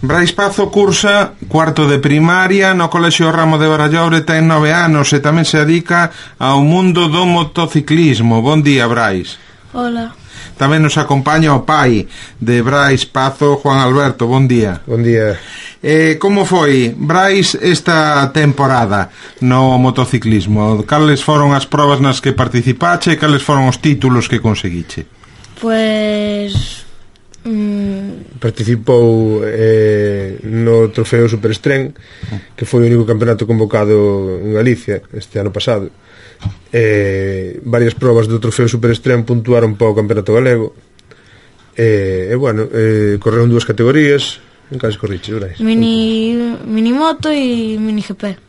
Brais Pazo cursa cuarto de primaria no Colexio Ramo de Barallobre, ten 9 anos e tamén se dedica ao mundo do motociclismo. Bon día, Brais. Hola. Tamén nos acompaña o pai de Brais Pazo, Juan Alberto. Bon día. Bon día. Como foi, Brais, esta temporada no motociclismo? Cales foron as probas nas que participache e cales foron os títulos que conseguiche? Pues... Participou no Trofeo Superestrén, que foi o único campeonato convocado en Galicia este ano pasado. Varias probas do Trofeo Superestrén puntuaron para o campeonato galego. Correron dúas categorías. En cales corriches, Brais? Minimoto e mini GP.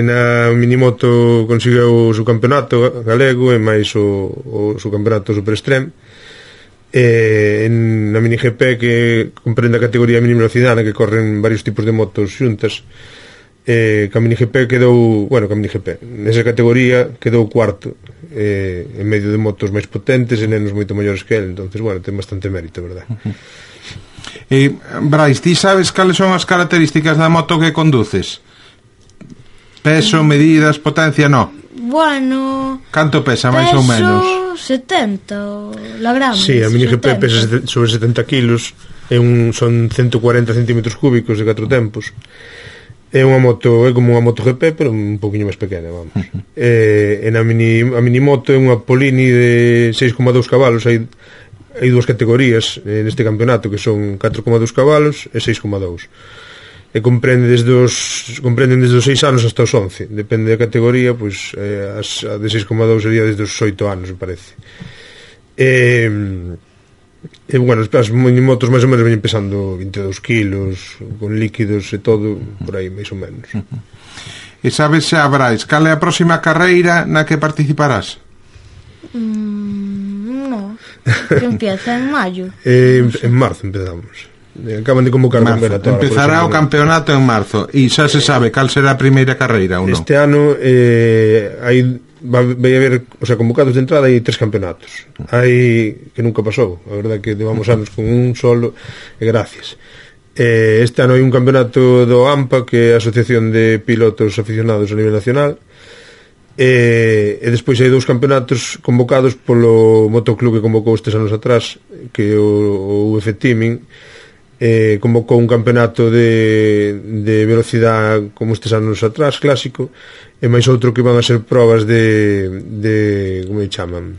Na minimoto conseguiu o seu campeonato galego e máis o seu campeonato Superestrén. Na mini GP, que comprende a categoría mini velocidade, que corren varios tipos de motos xuntas, ca mini GP quedou, nesa categoría quedou cuarto, en medio de motos máis potentes e nenos moito maiores que ele. Entonces, ten bastante mérito, verdad? Brais, ti sabes cales son as características da moto que conduces? Peso, medidas, potencia, no? Bueno... Canto pesa, máis ou menos? Peso 70, la grande. Sí, a mini GP pesa sobre 70 kilos, son 140 centímetros cúbicos de 4 tempos. É unha moto, é como unha moto GP, pero un poquinho máis pequena, vamos. A mini moto é unha Polini de 6,2 cabalos. Hai dúas categorías neste campeonato, que son 4,2 cabalos e 6,2. E comprenden desde os 6 anos hasta os 11. Depende da categoría, pois a de 6,2 sería desde os 8 anos, me parece. As minimotos máis ou menos veñen pesando 22 kilos, con líquidos e todo, por aí, máis ou menos. E sabes xa, Brais, cal é a próxima carreira na que participarás? No, que empieza en maio. En marzo empezamos. Acaban de convocar o campeonato. Empezará o campeonato en marzo. E xa se sabe cal será a primeira carreira ou non? Este ano vai haber, convocados de entrada, hai 3 campeonatos. Hai, que nunca pasou, a verdade que levamos anos con un solo, e gracias. Este ano hai un campeonato do AMPA, que é a Asociación de Pilotos Aficionados a nivel nacional, e despois hai 2 campeonatos convocados polo motoclub que convocou estes anos atrás, que é o UF Teaming. Convocou un campeonato de velocidade como estes anos atrás, clásico, e máis outro que van a ser probas de como lle chaman,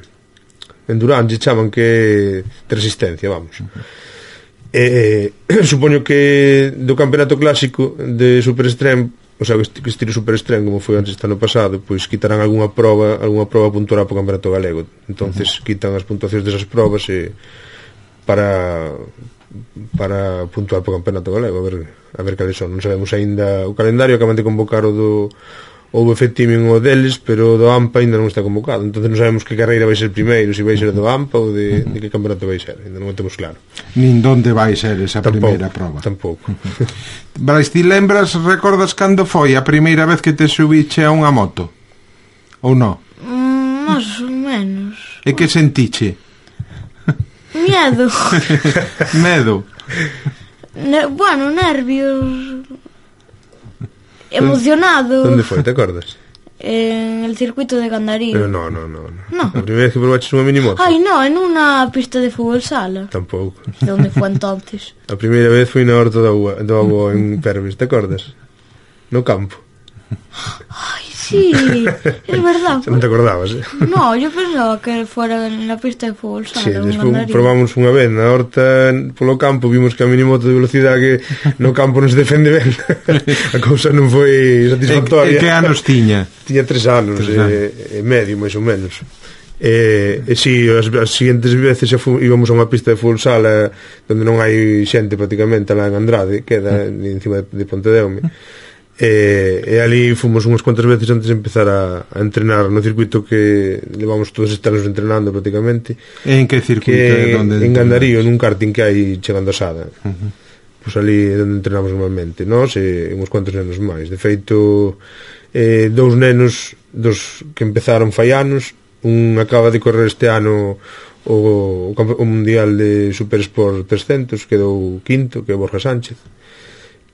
endurance, chaman, que é de resistencia, vamos. Supoño que do campeonato clásico de Superestrén, que estilo Superestrén, como foi antes este ano pasado, pois quitarán algunha prova puntuará para o campeonato galego. Entonces quitan as puntuacións desas probas para puntuar para o campeonato galego, a ver cales son. Non sabemos aínda o calendario. Acaban de convocar o UF Teaming o deles, pero o do AMPA aínda non está convocado. Entonces non sabemos que carreira vai ser primeiro, se vai ser do AMPA ou de que campeonato vai ser. Aínda non o temos claro. Nin donde vai ser esa primeira prova. Tampouco. Brais, ti recordas cando foi a primeira vez que te subiche a unha moto? Ou non? Más ou menos. E que sentiche? Miedo. Medo. Nervios. Emocionado. Onde foi, te acordas? En el circuito de Gandarío. No. A primeira vez que probaches unha minimoto? Ay, no, en unha pista de fútbol sala. Tampouco. De onde foi entonces? A primeira vez foi na Horta do Agua en Pervis, te acordas? No campo. Ay, sí, es verdad. Non te acordabas, No, yo pensaba que fuera en la pista de fútbol sala. Sí, despois probamos unha vez na Horta, polo campo, vimos que a minimoto de velocidade que no campo non se defende ben. A cousa non foi satisfactoria. E que anos tiña? Tiña 3 anos e medio, máis ou menos. Si, as seguintes veces íbamos a unha pista de fútbol sala onde non hai xente praticamente, lá en Andrade, que é encima de Pontedeume. E ali fomos unhas cuantas veces antes de empezar a entrenar no circuito que levamos todos estes anos entrenando prácticamente. En que circuito? En Gandarío, nun karting que hai chegando a Sada. Pois ali é onde entrenamos normalmente nós e uns cuantos nenos máis. De feito, 2 nenos que empezaron fai anos, un acaba de correr este ano o Mundial de Super Sport 300 quedou quinto, que é Borja Sánchez,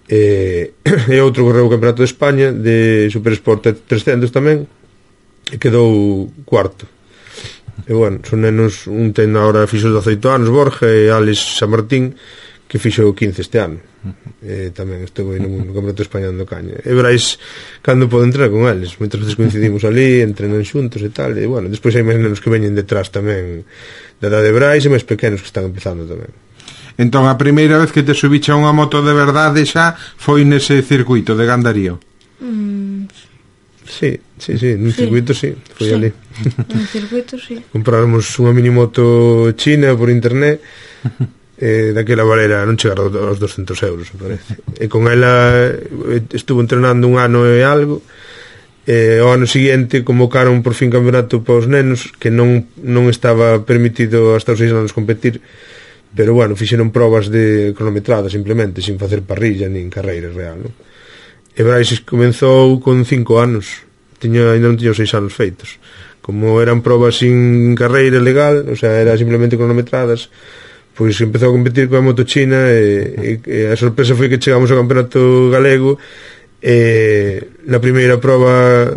e outro correu o Campeonato de España de Super Sport 300 tamén, e quedou cuarto. E bueno, son nenos, un ten agora fixo 18 anos, Borja, e Alex San Martín, que fixo 15 este ano. Tamén estou no Campeonato de España dando caña. E verais cando podo entrenar con eles. Moitas veces coincidimos ali, entrenan xuntos e tal. E bueno, despois hai máis nenos que veñen detrás tamén da edade de Brais e máis pequenos que están empezando tamén. Entón, a primeira vez que te subiche a unha moto de verdade xa foi nese circuito de Gandarío? Sí, nun circuito sí, foi ali. Un circuito, sí. Compráramos unha minimoto china por internet, daquela valera non chegar aos 200 euros, me parece. E con ela estuvo entrenando un ano e algo, e ao ano seguinte convocaron por fin campeonato para os nenos, que non estaba permitido hasta os 6 anos competir, pero bueno, fixeron probas de cronometrada simplemente, sin facer parrilla nin carreira real, non? E Brais comenzou con 5 anos, ainda non tiña os 6 anos feitos. Como eran probas sin carreira legal, o sea, era simplemente cronometradas, pois empezou a competir coa moto china, e a sorpresa foi que chegamos ao campeonato galego, e na primeira proba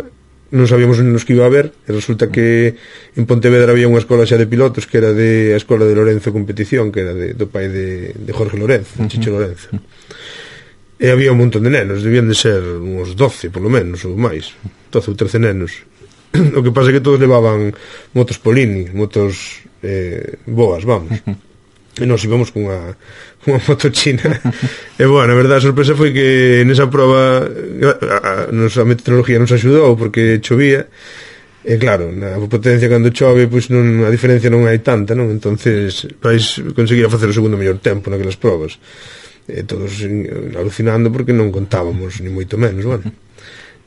non sabíamos nos que iba a haber, e resulta que en Pontevedra había unha escola xa de pilotos, que era a escola de Lorenzo Competición, que era do pai de Jorge Lorenzo, Chicho Lorenzo. E había un montón de nenos, debían de ser uns 12 polo menos, ou máis, 12 ou 13 nenos. O que pasa é que todos levaban motos Polini, motos boas, vamos. E nós íbamos con unha moto china. E bueno, a verdade, a sorpresa foi que nesa prova a meteorología nos axudou porque chovía. E claro, na potencia cando chove, pois a diferencia non hai tanta, non? Entonces vais conseguir facer o segundo mellor tempo naquelas probas. Todos alucinando porque non contábamos ni moito menos, bueno.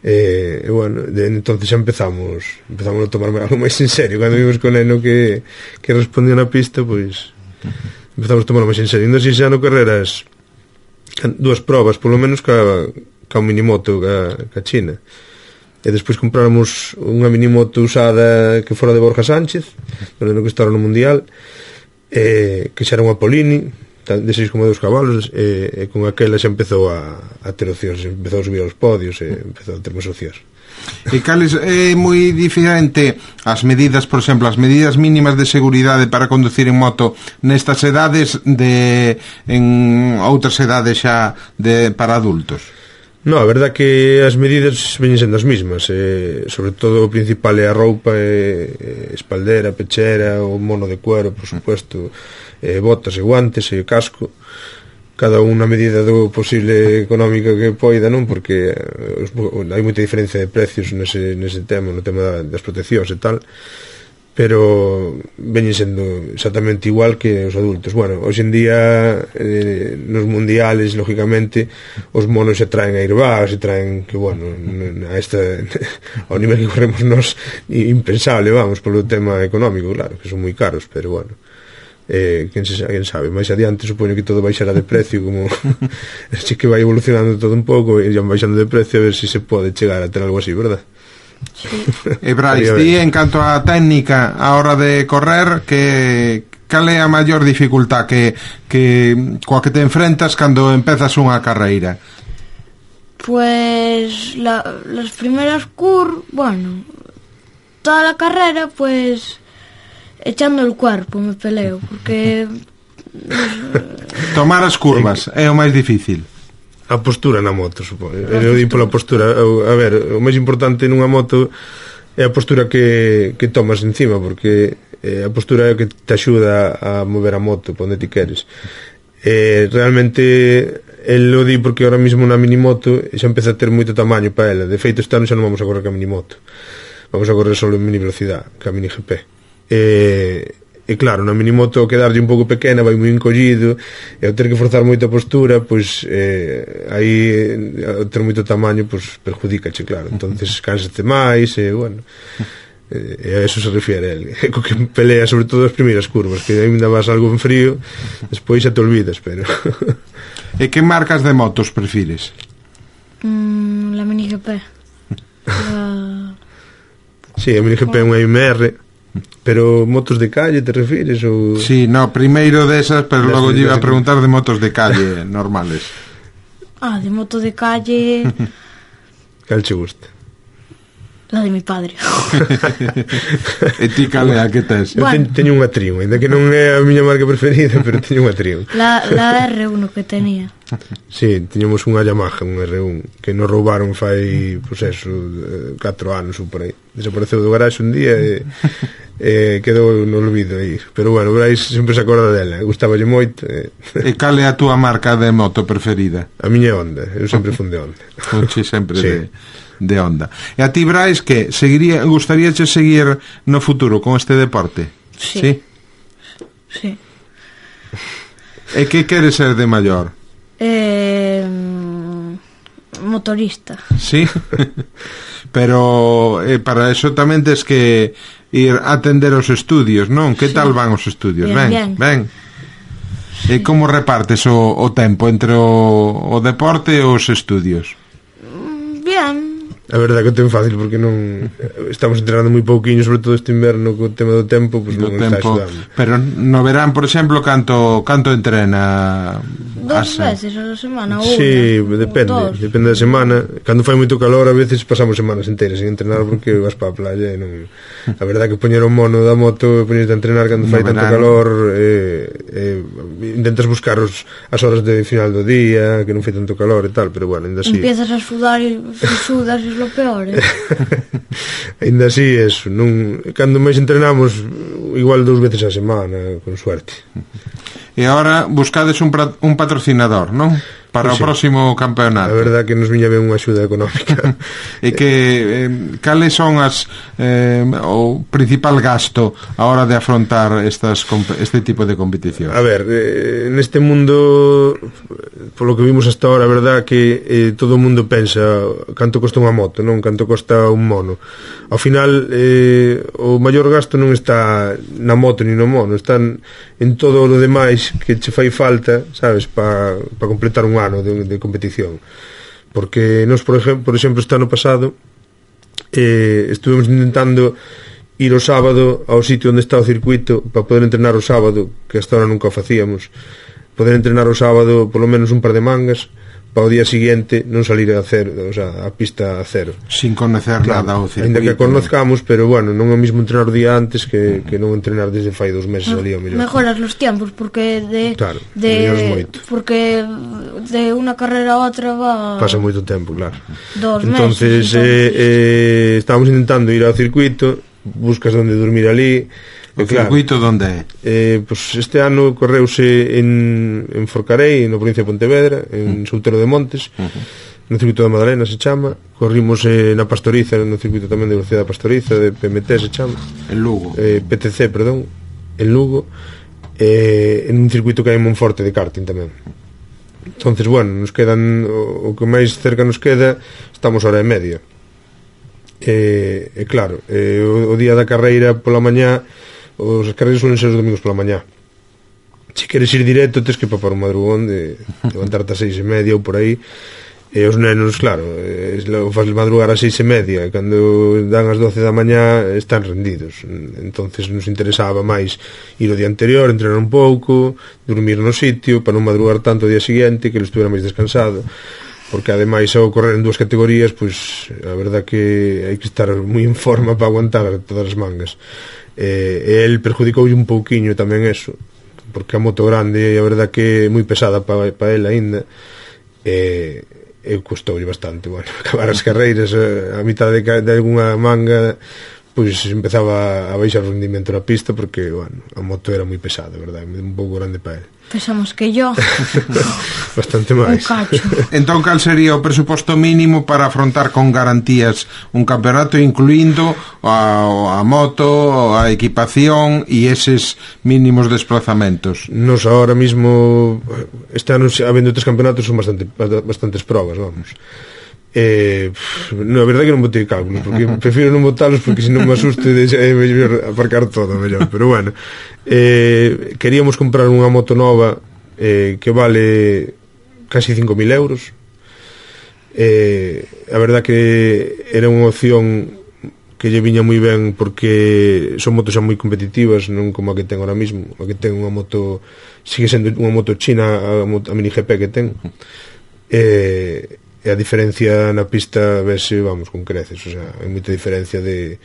E bueno, entonces xa empezamos a tomar algo máis en serio. Cando vimos con neno que respondía na pista, pois empezamos a tomar máis en serio. Ainda así xa no carreras 2 probas, polo menos ca minimoto ca China. E despois compráramos unha minimoto usada que fora de Borja Sánchez, no que estaba no Mundial, que xa era unha Polini de 6,2 cabalos, e con aquela xa empezou a ter opcións, empezou a subir aos podios e empezou a ter máis opcións. E cales é moi diferente as medidas, por exemplo, as medidas mínimas de seguridade para conducir en moto nestas edades en outras edades xa para adultos? No, a verdad que as medidas veñen sendo as mismas, sobre todo o principal é a roupa, espaldera, pechera, o mono de cuero, por supuesto, botas e guantes e casco, cada unha medida do posible económica que poida, non? Porque hai moita diferencia de precios nese tema, no tema das proteccións e tal, pero veñen sendo exactamente igual que os adultos. Bueno, hoxe en día nos mundiales, lógicamente, os monos se traen airbags, se traen que, bueno, ao nivel que corremos nos, impensable, vamos, polo tema económico, claro, que son moi caros, pero bueno, quen sabe, máis adiante supoño que todo baixará de precio, como así que vai evolucionando todo un pouco e baixando de precio, a ver se se pode chegar a ter algo así, verdad? Sí. E Brais, ti en canto a técnica a hora de correr, cal é a maior dificultad coa que te enfrentas cando empezas unha carreira? Pues las primeras bueno, toda la carrera pues echando el cuerpo me peleo, porque tomar as curvas é o máis difícil. A postura na moto, supoño. Eu digo pola postura. A ver, o máis importante nunha moto é a postura que tomas encima, porque a postura é o que te axuda a mover a moto para onde ti queres. Realmente el lo di porque ahora mismo na minimoto xa empeza a ter moito tamaño para ela. De feito, este ano xa non vamos a correr ca minimoto, vamos a correr solo en mini velocidade, ca mini GP. E claro, na minimoto quedarlle un pouco pequena, vai moi encollido, e ao ter que forzar moita postura, pois aí ao ter moito tamaño, pois perjudícache, claro. Entonces cánsate máis, e bueno, e a eso se refiere el, co que pelea sobre todo as primeiras curvas, que ainda vas algo en frío, despois xa te olvidas, pero E que marcas de motos prefires? La Mini GP. Sí, a Mini GP é unha MR, Pero motos de calle te refires ou... Sí, no, primeiro desas, pero logo lle iba a preguntar de motos de calle normales. De moto de calle... Cal che gusta? La de mi padre. E ti cal é a que tes? Eu teño unha Triumph, ainda que non é a miña marca preferida, pero teño unha Triumph. La R1 que tenía. Sí, teñemos unha Yamaha, un R1, que nos roubaron fai, pois eso, 4 anos ou por aí. Desapareceu do garaxe un día e quedou no olvido aí. Pero bueno, Brais sempre se acorda dela, gustaballe moito. E cal é a túa marca de moto preferida? A miña Honda, eu sempre fun de Honda. Funche sempre Sí. de Honda. E a ti, Brais, que gustaríache seguir no futuro con este deporte? Sí. Sí. E que queres ser de maior? Motorista. Sí. Pero para eso tamén tes que ir a atender os estudios, non? Que tal van os estudios? Bien. E como repartes o tempo entre o deporte e os estudios? Bien. A verdade que o ten fácil porque non estamos entrenando moi pouquiño, sobre todo este inverno co tema do tempo, pois non está axudando. Pero no verán, por exemplo, canto entrena? 2 veces a la semana ou sí, depende da semana. Cando fai moito calor a veces pasamos semanas enteras sin entrenar porque vas para a playa e non... A verdade que poñer o mono da moto e poñerte a entrenar cando fai tanto calor intentas buscar as horas de final do día que non fai tanto calor e tal, pero bueno, ainda así empiezas a sudar e sudas é lo peor, ainda así eso, cando máis entrenamos igual 2 veces a semana con suerte. E agora buscades un patrocinador, non? Para o próximo campeonato. A verdade que nos viña ben unha axuda económica. E que cales son o principal gasto a hora de afrontar este tipo de competición? A ver, neste mundo, polo que vimos hasta ahora, a verdade que todo o mundo pensa canto costa unha moto, non canto costa un mono. Ao final, o maior gasto non está na moto ni no mono, está en todo o demais que che fai falta, sabes, para completar un ano de competición. Porque nos, por exemplo, este ano pasado estuvemos intentando ir o sábado ao sitio onde está o circuito para poder entrenar o sábado, que hasta ahora nunca o facíamos, poder entrenar o sábado polo menos un par de mangas para o día seguinte non salir a cero, o sea, a pista a cero. Sin conocer nada ao circuito. Ainda que conozcamos, pero bueno, non é o mismo entrenar o día antes que non entrenar desde fai 2 meses ali ao mellor. Mejoras los tiempos porque porque de unha carrera a outra pasa moito tempo, claro. 2 meses. Entonces estábamos intentando ir ao circuito, buscas onde dormir ali. O circuito onde é? Pues este ano correuse en Forcarei, na provincia de Pontevedra, en Soutelo de Montes, no circuito da Madalena se chama. Corrimos na Pastoriza, no circuito tamén de velocidade da Pastoriza, de PMT se chama. En Lugo. PTC, perdón, en Lugo, en un circuito que hai en Monforte de karting tamén. Entonces, bueno, nos quedan o que máis cerca nos queda, estamos hora e media. Claro, o día da carreira pola mañá, as carreiras suelen ser os domingos pola mañá. Se queres ir directo, tens que papar un madrugón de levantarte a 6:30 ou por aí. E os nenos, claro, faz madrugar a 6:30, e cando dan as 12 da mañá están rendidos. Entonces nos interesaba máis ir o día anterior, entrenar un pouco, dormir no sitio para non madrugar tanto o día seguinte, que ele estuvera máis descansado, porque ademais ao correr en 2 categorías, pois a verdad que hai que estar moi en forma para aguantar todas as mangas. E el perjudicoulle un pouquiño tamén eso, porque a moto grande a verdad que é moi pesada para el aínda, e custoulle bastante, bueno, acabar as carreiras a mitad de algunha manga, pois empezaba a baixar o rendimento na pista porque, bueno, a moto era moi pesada, verdad, un pouco grande para el. Pesamos que yo. Bastante máis. Entón, cal sería o presuposto mínimo para afrontar con garantías un campeonato, incluindo a moto, a equipación e eses mínimos desplazamentos? Nos ahora mismo, este ano, habendo 3 campeonatos, son bastantes probas, vamos. A verdade que non botei cálculo, porque prefiro non botalos, porque se non me asuste é mellor aparcar todo mellor. Pero bueno, queríamos comprar unha moto nova que vale casi 5.000 euros. A verdade que era unha opción que lle viña moi ben porque son motos xa moi competitivas, non como a que ten ahora mismo. A que ten unha moto, sigue sendo unha moto china, a Mini GP que ten, e a diferencia na pista vese, vamos, con creces. O sea, hai moita diferencia de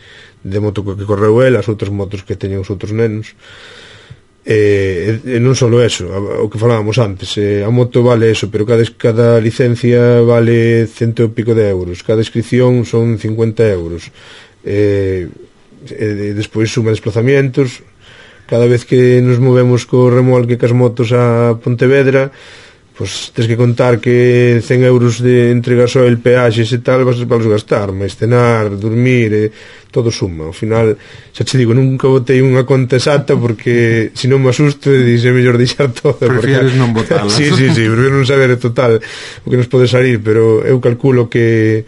moto que correu el, as outras motos que teñen os outros nenos. E non só eso, o que falábamos antes, a moto vale eso, pero cada licencia vale 100 e pico de euros, cada inscripción son 50 euros, despois suma desplazamientos. Cada vez que nos movemos co remolque cas motos a Pontevedra, pois tens que contar que 100 euros de entre gasoil, peaxes e tal vas a gastar, mas cenar, dormir, todo suma. Ao final, xa te digo, nunca botei unha conta exacta porque se non me asusto e dixe mellor deixar todo. Prefieres porque... non botarla. Sí, prefiro non saber total o que nos pode salir, pero eu calculo que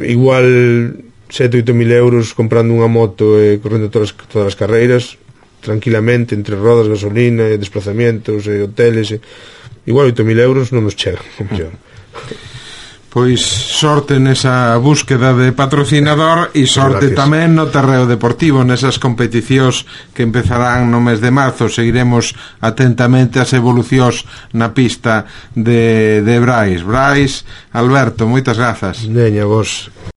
igual 7-8 mil euros comprando unha moto e correndo todas as carreiras tranquilamente, entre rodas, gasolina, desplazamientos, hoteles, igual 8.000 euros non nos chega, mellor. Pois sorte nesa búsqueda de patrocinador e sorte tamén no terreo deportivo, nesas competicións que empezarán no mes de marzo. Seguiremos atentamente as evolucións na pista de Brais. Alberto, moitas grazas. Neña, vos.